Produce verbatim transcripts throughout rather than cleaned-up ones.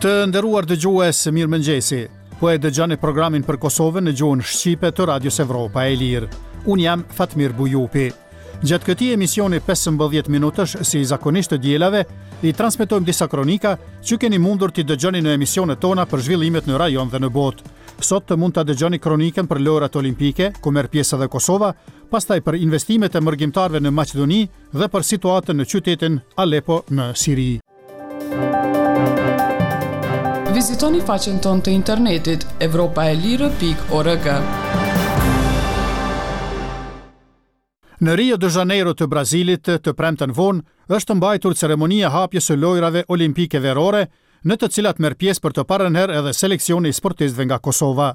Të nderuar dëgjues, mirëmëngjesi. Po e dëgjoni programin për Kosovën në gjuhën shqipe të Radios Evropa e Lirë. Unë jam Fatmir Bujupi. Gjatë këtij emisioni pesëmbëdhjetë minutësh, si zakonisht të dielave, i transmetojmë disa kronika që keni mundur t'i dëgjoni në emisionet tona për zhvillimet në rajon dhe në botë. Sot të mund ta dëgjoni kronikën për Lojërat Olimpike, ku merr pjesë edhe Kosova, pastaj për investimet e mërgimtarëve në Maqedoni dhe për situatën në qytetin Aleppo në Siri. Vizitoni faqen tonë të internetit evropaelire pikë org. Në Rio de Janeiro të Brazilit, të premten vonë, është mbajtur ceremonia e hapjes së Lojërave Olimpike Verore, në të cilat merr pjesë për të parën herë edhe seleksioni i sportistëve nga Kosova.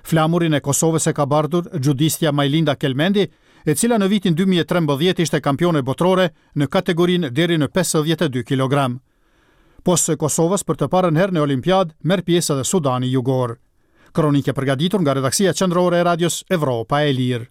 Flamurin e Kosovës e ka bartur xhudistja Majlinda Kelmendi, e cila në vitin dy mijë e trembëdhjetë ishte kampione botërore në kategorinë deri në pesëdhjetë e dy kilogram. Pos Kosovës, për të parën herë në Olimpiadë merr pjesë edhe Sudani Jugor. Kronikë e përgatitur nga redaksia qendrore e Radios Evropa e Lirë.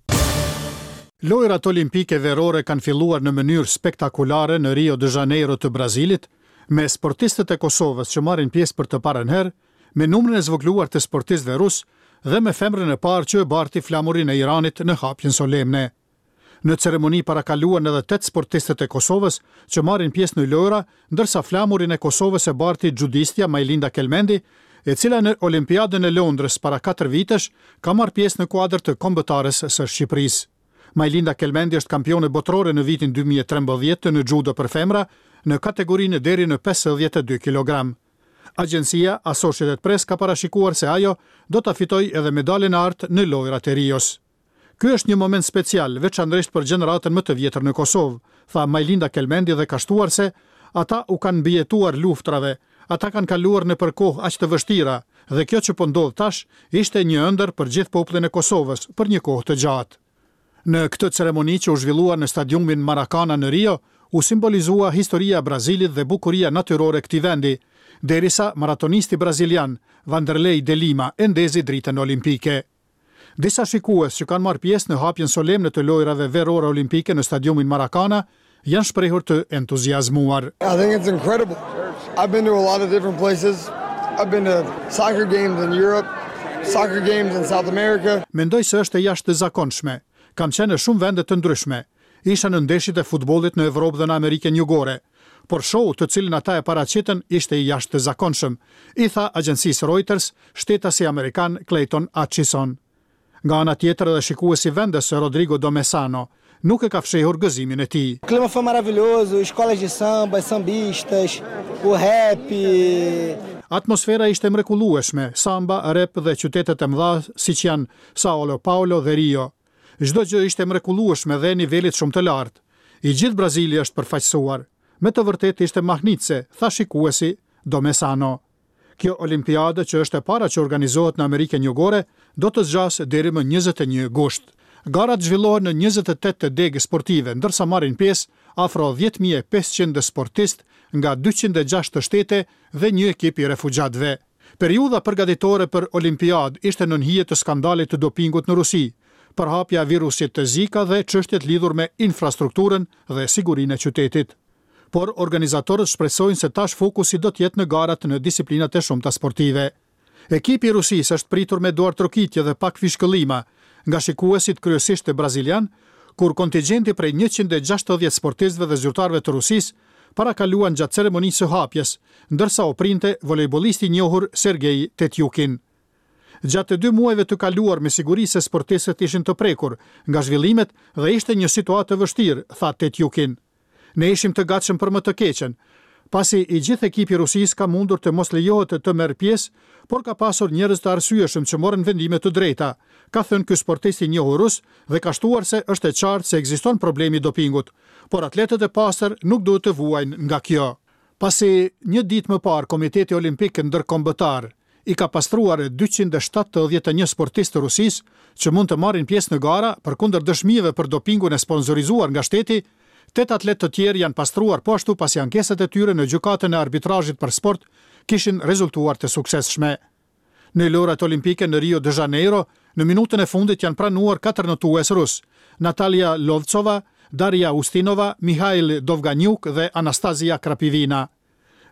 Lojërat Olimpike Verore kanë filluar në mënyrë spektakulare në Rio de Janeiro të Brazilit, me sportistët e Kosovës që marrin pjesë për të parën herë, me numrin e zvogëluar të sportistëve rus dhe me femrën e parë që e barti flamurin e Iranit në hapjen solemne. Në ceremoni parakaluan edhe tetë sportistët e Kosovës që marrin pjesë në lojra, ndërsa flamurin e Kosovës e barti xhudistja Majlinda Kelmendi, e cila në Olimpiadën e Londrës para katër vitesh ka marrë pjesë në kuadër të kombëtares së Shqipërisë. Majlinda Kelmendi është kampione botërore në vitin dy mijë e trembëdhjetë në judo për femra në kategorinë deri në pesëdhjetë e dy kilogram. Agjencia Associated Press ka parashikuar se ajo do ta fitojë edhe medaljen e artë në Lojërat e Rios. "Ky është një moment special, veçanërisht për gjeneratën më të vjetër në Kosovë", tha Majlinda Kelmendi dhe ka shtuar se ata u kanë mbijetuar luftrave, ata kanë kaluar nëpër kohë aq të vështira dhe kjo që po ndodh tash ishte një ëndër për gjithë popullin e Kosovës për një kohë të gjatë. Në këtë ceremoni që u zhvillua në stadiumin Maracana në Rio, u simbolizua historia e Brazilit dhe bukuria natyrore e këtij vendi, derisa maratonisti brazilian Vanderlei de Lima e ndezi dritën olimpike. Disa shikues që kanë marrë pjesë në hapjen solemne të Lojërave Verore Olimpike në stadiumin Maracana janë shprehur të entuziazmuar. I think it's incredible. I've been to a lot of different places. I've been to soccer games in Europe, soccer games in South America. "Mendoj se është e jashtëzakonshme. Kam qenë në shumë vende të ndryshme. Isha në ndeshjet e futbollit në Evropë dhe në Amerikën Jugore. Por show të cilin ata e paraqitën ishte i jashtëzakonshëm", i tha agjencisë Reuters shtetasi amerikan Clayton Atchison. Nga ana tjetër, edhe shikuesi vendes Rodrigo Domesano nuk e ka fshehur gëzimin e tij. O clima foi maravilhoso, escolas de samba, sambistas, o rap. "Atmosfera ishte mrekullueshme, samba, rap dhe qytetet e mëdha siç janë Sao Paulo dhe Rio. Çdo gjë ishte mrekullueshme dhe nivelit shumë të lartë. I gjithë Brazili është përfaqësuar. Me të vërtetë ishte mahnitëse", tha shikuesi Domesano. Kjo olimpiadë, që është e para që organizohet në Amerikën Jugore, do të zgjasë deri më njëzet e një gusht. Garat zhvillohen në njëzet e tetë degë sportive, ndërsa marrin pjesë afro dhjetë mijë e pesëqind sportist nga dyqind e gjashtë shtete dhe një ekip i refugjatëve. Periudha përgatitore për Olimpiadë ishte nën hije të skandalit të dopingut në Rusi, përhapja e virusit të Zika dhe çështjet lidhur me infrastrukturën dhe sigurinë e qytetit. Por organizatorët shpresojnë se tash fokusi do të jetë në garat në disiplinat e shumta sportive. Ekipi i Rusisë është pritur me duartrokitje dhe pak fishkëllima nga shikuesit, kryesisht brazilian, kur kontingjenti prej njëqind e gjashtëdhjetë sportistëve dhe zyrtarëve të Rusisë parakaluan gjatë ceremonisë së hapjes, ndërsa u printe volejbollisti i njohur Sergej Tetjukin. "Gjatë dy muajve të kaluar me siguri se sportistët ishin të prekur nga zhvillimet dhe ishte një situatë e vështirë", tha Tetjukin. "Ne ishim të gatshëm për më të keqen, pasi i gjithë ekipi i Rusisë ka mundur të mos lejohet të merr pjesë, por ka pasur njerëz të arsyeshëm që morën vendime të drejta", ka thënë ky sportist i njohur rus dhe ka shtuar se është e qartë se ekziston problemi i dopingut, por atletët e pastër nuk duhet të vuajnë nga kjo. Pasi një ditë më parë Komiteti Olimpik Ndërkombëtar i ka pastruar dyqind e shtatëdhjetë e një sportistë të Rusisë që mund të marrin pjesë në gara përkundër dëshmive për dopingun e sponsorizuar nga shteti, tetë atletë të tjerë janë pastruar po ashtu, pasi ankesat e tyre në gjykatën e arbitrazhit për sport kishin rezultuar të suksesshme. Në Lojërat Olimpike në Rio de Janeiro, në minutën e fundit janë pranuar katër notues rus: Natalia Lovcova, Daria Ustinova, Mihail Dovganjuk dhe Anastasia Krapivina.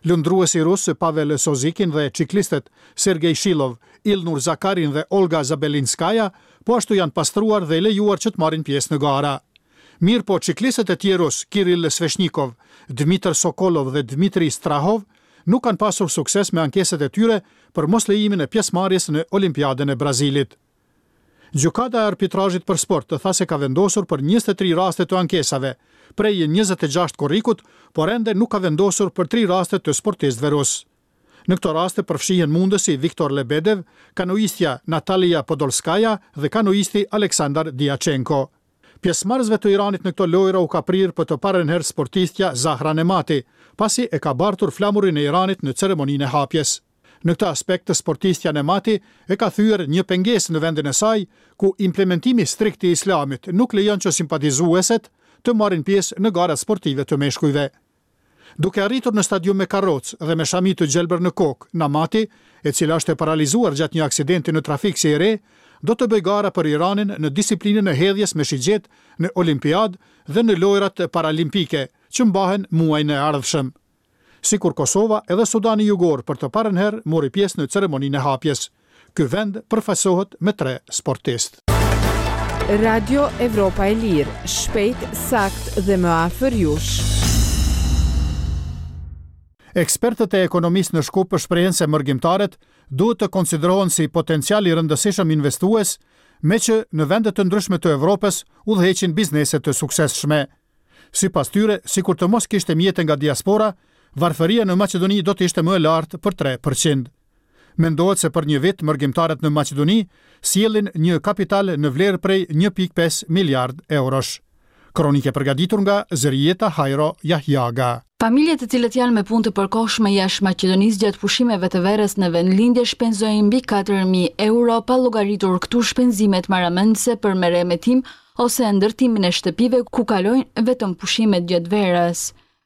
Lundruesi rus Pavel Sozikin dhe çiklistët Sergej Shilov, Ilnur Zakarin dhe Olga Zabelinskaya po ashtu janë pastruar dhe lejuar që të marrin pjesë në gara. Mirë po çiklistët e tjerë rus, Kirill Sveshnikov, Dmitr Sokolov dhe Dmitri Strahov, nuk kanë pasur sukses me ankesat e tyre për moslejimin e pjesëmarrjes në Olimpiadën e Brazilit. Gjykata e arbitrazhit për sport tha se ka vendosur për njëzet e tri raste të ankesave, prej njëzet e gjashtë korrikut, por ende nuk ka vendosur për tri raste të sportistëve rus. Në këto raste përfshihen mundësi Viktor Lebedev, kanoistja Natalia Podolskaya dhe kanoisti Aleksandar Diachenko. Pjesëmarrësve të Iranit në këto lojra u ka prirë për të parën herë sportistja Zahra Nemati, pasi e ka bartur flamurin e Iranit në ceremoninë e hapjes. Në këtë aspekt, sportistja Nemati e ka thyer një pengesë në vendin e saj, ku implementimi strikt i Islamit nuk lejon që simpatizueset të marrin pjesë në garat sportive të meshkujve. Duke arritur në stadium me karrocë dhe me shami të gjelbër në kokë, Namati, e cila është e paralizuar gjatë një aksidenti në trafik si e re, do të bëjë gara për Iranin në disiplinën e hedhjes me shigjet në Olimpiadë dhe në lojrat paralimpike, që mbahen muajin e ardhshëm. Sikur Kosova, edhe Sudani Jugor për të parën herë mori pjesë në ceremoninë e hapjes. Ky vend përfaqësohet me tre sportistë. Radio Evropa e Lirë, shpejt, sakt dhe më afër jush. Ekspertët e ekonomisë në Shkup shprehen se mërgimtarët duhet të konsiderohen si potencial i rëndësishëm investues, me që në vende të ndryshme të Evropës udhëheqin biznese të suksesshme. Sipas tyre, sikur të mos kishte mjete nga diaspora, varfëria në Maqedoni do të ishte më e lartë për tre përqind. Mendohet se për një vit mërgimtarët në Maqedoni sjellin një kapital në vlerë prej një pikë pesë miliard eurosh. Kronike përgatitur nga Zërijeta Hajro Jahjaga. Familjet të cilët janë me punë të përkohshme jashtë Maqedonisë gjatë pushimeve të verës në vendlindje shpenzojnë mbi katër mijë euro pa llogaritur këtu shpenzimet marramendëse për meremetim ose ndërtimin e shtëpive ku kalojnë vetëm pushimet gjatë verës.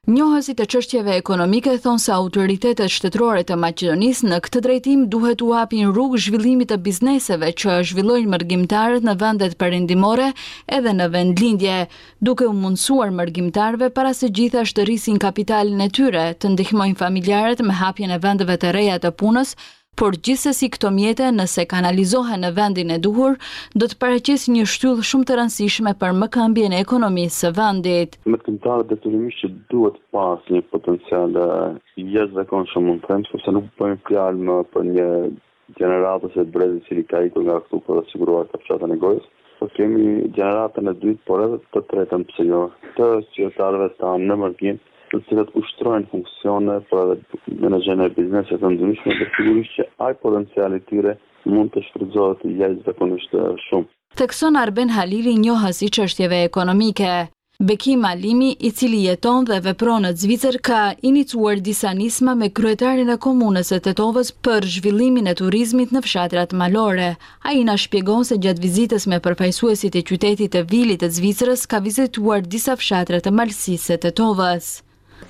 Njohësit e çështjeve ekonomike thonë se autoritetet shtetërore të Maqedonisë në këtë drejtim duhet u hapin rrugë zhvillimit të bizneseve që zhvillojnë mërgimtarët në vendet perëndimore edhe në vendlindje, duke u mundësuar mërgimtarëve para së gjithash të rrisin kapitalin e tyre, të ndihmojnë familjarët me hapjen e vendeve të reja të punës, por gjithsesi këto mjete, nëse kanalizohen në vendin e duhur, do të paraqesin një shtyllë shumë të rëndësishme për mëkëmbjen e ekonomisë së vendit. Mërgimtarët detyrimisht që duhet pas një potencial jashtëzakonshëm, mund të them, sepse nuk bëjmë fjalë më për një gjeneratë ose brez i cili ka ikur nga këtu për të siguruar kafshatën e gojës, po kemi gjeneratën e dytë, por edhe të tretën, pse jo, të qytetarëve tanë në mërgim, të cilët ushtrojnë funksione, por edhe menaxhojnë biznese të ndryshme, dhe sigurisht që ai potencial i tyre mund të shfrytëzohet jashtëzakonisht shumë. Thekson Arben Halili, njohës i çështjeve ekonomike. Bekim Alimi, i cili jeton dhe vepron në Zvicër, ka iniciuar disa nisma me kryetarin e komunës së Tetovës për zhvillimin e turizmit në fshatrat malore. Ai na shpjegon se gjatë vizitës me përfaqësuesit e qytetit të Vilit të Zvicrës ka vizituar disa fshatra të Malësisë së Tetovës.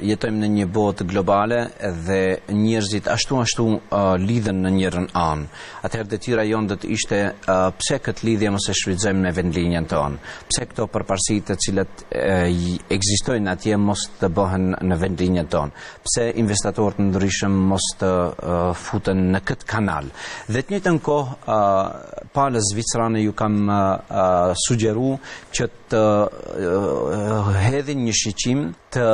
Jetojmë në një botë globale dhe njerëzit ashtu ashtu, uh, lidhen në njërën anë. Atëherë detyra jonë do të ishte, uh, pse këtë lidhje mos e shfrytëzojmë në vendlinjen tonë? Pse këto përparësi të cilat, uh, ekzistojnë atje mos të bëhen në vendlinjen tonë? Pse investitorët ndryshëm mos të, uh, futen në këtë kanal? Dhe të njëjtën kohë, uh, palës zvicerane ju kam, uh, sugjeru që të, uh, hedhin një shiqim të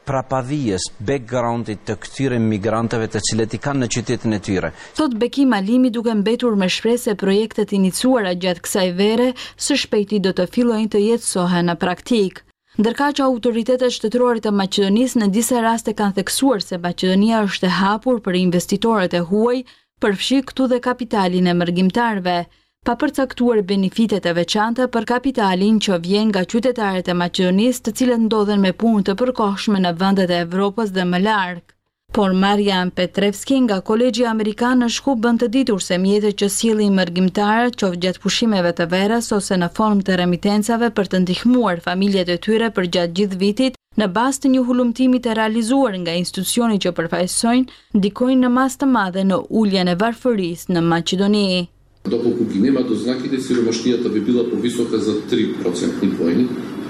prapavijës, backgroundit të këtyre migrantëve të cilët i kanë në qytetin e tyre. Thot Bekim Alimi, duke mbetur me shpresë se projektet iniciuara gjatë kësaj vere së shpejti do të fillojnë të jetësohen në praktikë. Ndërkaq autoritetet shtetërore të Maqedonisë në disa raste kanë theksuar se Maqedonia është e hapur për investitorët e huaj, përfshi këtu dhe kapitalin e mërgimtarëve, pa përcaktuar benefitet e veçanta për kapitalin që vjen nga qytetarët e Maqedonisë, të cilët ndodhen me punë të përkohshme në vendet e Evropës dhe më larg. Por Marian Petrevski nga Kolegji Amerikan në Shkup bën të ditur se mjetet që sjellin mërgimtarët, qoftë gjatë pushimeve të verës ose në formë të remitencave për të ndihmuar familjet e tyre përgjatë gjithë vitit, në bazë të një hulumtimi të realizuar nga institucioni që përfaqësojnë, ndikojnë në masë të madhe në uljen e varfërisë në Maqedoni. Доколку ги нема дознаките, сиромаштијата би била повисока за три процентни поени,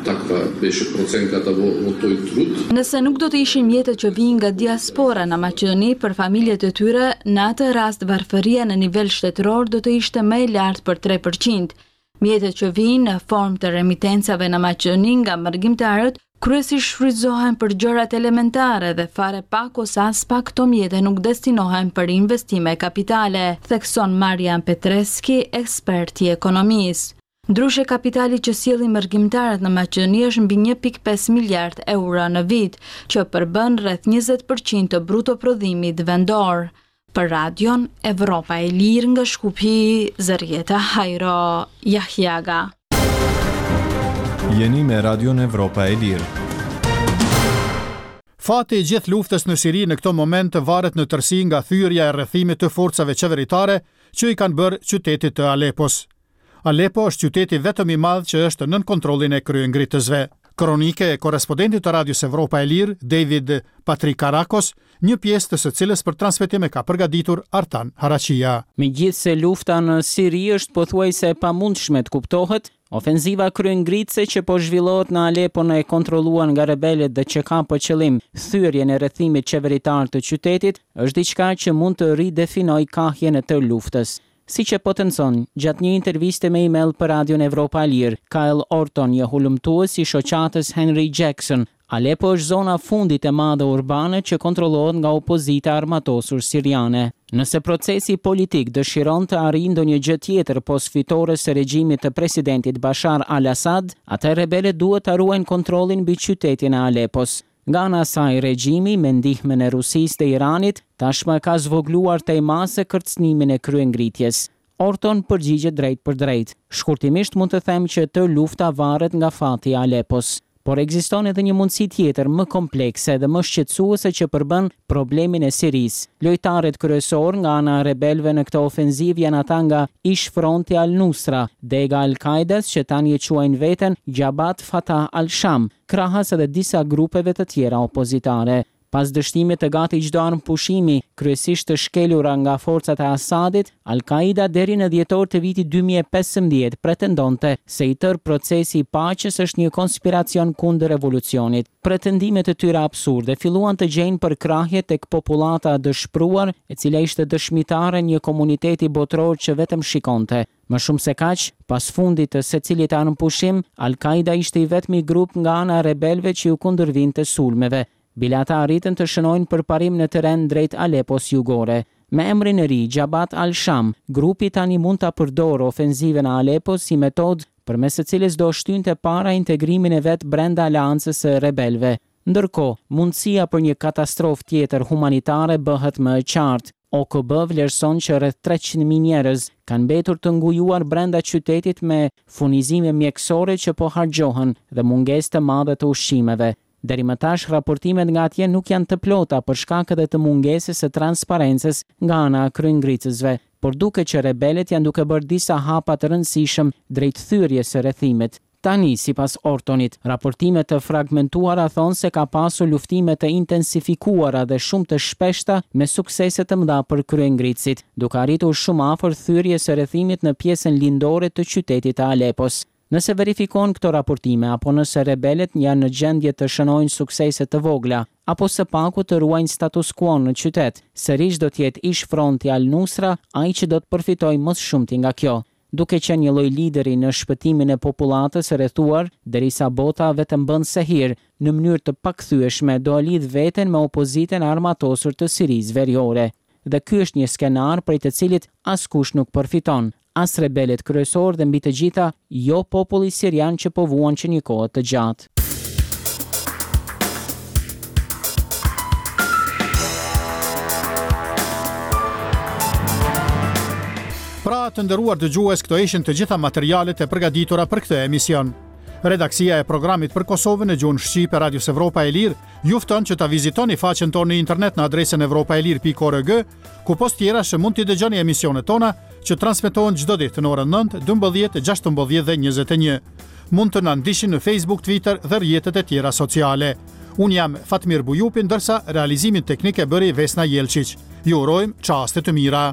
Таква беше проценката во, во тој труд. Nëse nuk do të ishin mjetet që vijnë nga diaspora në Maqedoni për familjet e tyre, në atë rast varfëria në nivel shtetëror do të ishte më e lartë për tre përqind. Mjetet që vijnë në formë të remitencave në Maqedoni nga mërgimtarët kryesisht shfrytëzohen për gjërat elementare dhe fare pak ose as pak këto mjete nuk destinohen për investime kapitale, thekson Marian Petreski, ekspert i ekonomisë. Ndryshe, kapitali që sjellin mërgimtarët në Maqedoni është mbi një pikë pesë miliard euro në vit, që përbën rreth njëzet përqind të bruto prodhimit vendor. Për Radion Evropa e Lirë nga Shkupi, Zërjeta Hajro Jahjaga. Jeni me Radion Evropa e Lirë. Fati i gjithë luftës në Siri në këto moment varet në tërësi nga thyerja e rrethimit të forcave qeveritare që i kanë bërë qytetit të Alepos. Alepo është qyteti vetëm i madh që është nën kontrollin e kryengritësve. Kronike e korrespondentit të Radios Evropa e Lirë, David Patrikarakos, një pjesë të së cilës për transmetim e ka përgatitur Artan Haraqia. Megjithse lufta në Siri është pothuajse e pamundshme të kuptohet, ofenziva kryengritëse që po zhvillohet në Aleppo e kontrolluar nga rebelët dhe që ka për qëllim thyerjen e rrethimit qeveritar të qytetit, është diçka që mund të ridefinojë kahjen e tërë luftës. Si që potencon gjatë një interviste me email për Radion Evropa e Lirë, Kyle Orton, një hulumtues i shoqatës Henry Jackson, Aleppo është zona fundit e madhe urbane që kontrollohet nga opozita armatosur siriane. Nëse procesi politik dëshiron të arrijë ndonjë gjë tjetër pos fitores së regjimit të presidentit Bashar al-Assad, atëherë rebelët duhet ta ruajnë kontrollin mbi qytetin e Aleppos. Nga ana e saj, regjimi me ndihmën e Rusisë dhe Iranit tashmë ka zvogëluar tej mase kërcënimin e kryengritjes. Orton përgjigjet drejt për drejt. Shkurtimisht mund të them që tërë lufta varet nga fati i Aleppos. Por ekziston edhe një mundësi tjetër më komplekse dhe më shqetësuese që përbën problemin e Sirisë. Lojtarët kryesor nga ana e rebelëve në këtë ofenzivë janë ata nga ish fronti Al-Nusra, dega Al-Qaedas që tani e quajnë veten Jabhat Fatah al-Sham, krahas edhe disa grupeve të tjera opozitare. Pas dështimit të gati çdo armë pushimi, kryesisht të shkelura nga forcat e Assadit, Al-Qaida deri në dhjetor të vitit dy mijë e pesëmbëdhjetë pretendonte se i tërë procesi i paqes është një konspiracion kundër revolucionit. Pretendimet e tyre absurde filluan të gjejnë përkrahje tek popullata e dëshpëruar, e cila ishte dëshmitare një komuniteti botëror që vetëm shikonte. Më shumë se kaq, pas fundit të secilit armëpushim, Al-Qaida ishte i vetmi grup nga ana e rebelëve që ju kundërvinte sulmeve. Bile ata arritën të shënojnë përparim në terren drejt Aleppos jugore. Me emrin e ri, Jabhat al-Sham, grupi tani mund ta përdorë ofenzivën e Aleppos si metodë përmes së cilës do shtynte para integrimin e vet brenda aleancës së rebelëve. Ndërkohë, mundësia për një katastrofë tjetër humanitare bëhet më e qartë. O K B vlerëson që rreth treqind mijë njerëz kanë mbetur të ngujuar brenda qytetit me furnizime mjekësore që po harxhohen dhe mungesë të madhe të ushqimeve. Deri më tash, raportimet nga atje nuk janë të plota për shkak edhe të mungesës së transparencës nga ana e kryengritësve, por duket që rebelët janë duke bërë disa hapa të rëndësishëm drejt thyerjes së rrethimit. Tani, sipas Ortonit, raportime të fragmentuara thonë se ka pasur luftime të intensifikuara dhe shumë të shpeshta me suksese të mëdha për kryengritësit, duke arritur shumë afër thyerjes së rrethimit në pjesën lindore të qytetit të Aleppos. Nëse verifikohen këto raportime apo nëse rebelët janë në gjendje të shënojnë suksese të vogla, apo së paku të ruajnë status quo në qytet, sërish do të jetë ish fronti Al-Nusra ai që do të përfitojë më së shumti nga kjo, duke qenë një lloj lideri në shpëtimin e popullatës së rrethuar, derisa bota vetëm bën sehir, në mënyrë të pakthyeshme do e lidh veten me opozitën e armatosur të Sirisë veriore. Dhe ky është një skenar prej të cilit askush nuk përfiton, as rebelët kryesor dhe mbi të gjitha jo populli sirian që po vuan që një kohë të gjatë. Pra, të nderuar dëgjues, këto ishin të gjitha materialet e përgatitura për këtë emision. Redaksia e programit për Kosovën në gjuhën shqipe Radios Evropa e Lirë ju fton që ta vizitoni faqen tonë në internet në adresën evropa e lirë pikë org, ku pos tjerash mund t'i dëgjoni emisionet tona që transmetohen çdo ditë në orën nëntë, dymbëdhjetë, gjashtëmbëdhjetë dhe njëzet e një. Mund të na ndiqni në Facebook, Twitter dhe rrjetet e tjera sociale. Unë jam Fatmir Bujupi, ndërsa realizimin teknik e bëri Vesna Jelçiq. Ju urojmë çaste të mira.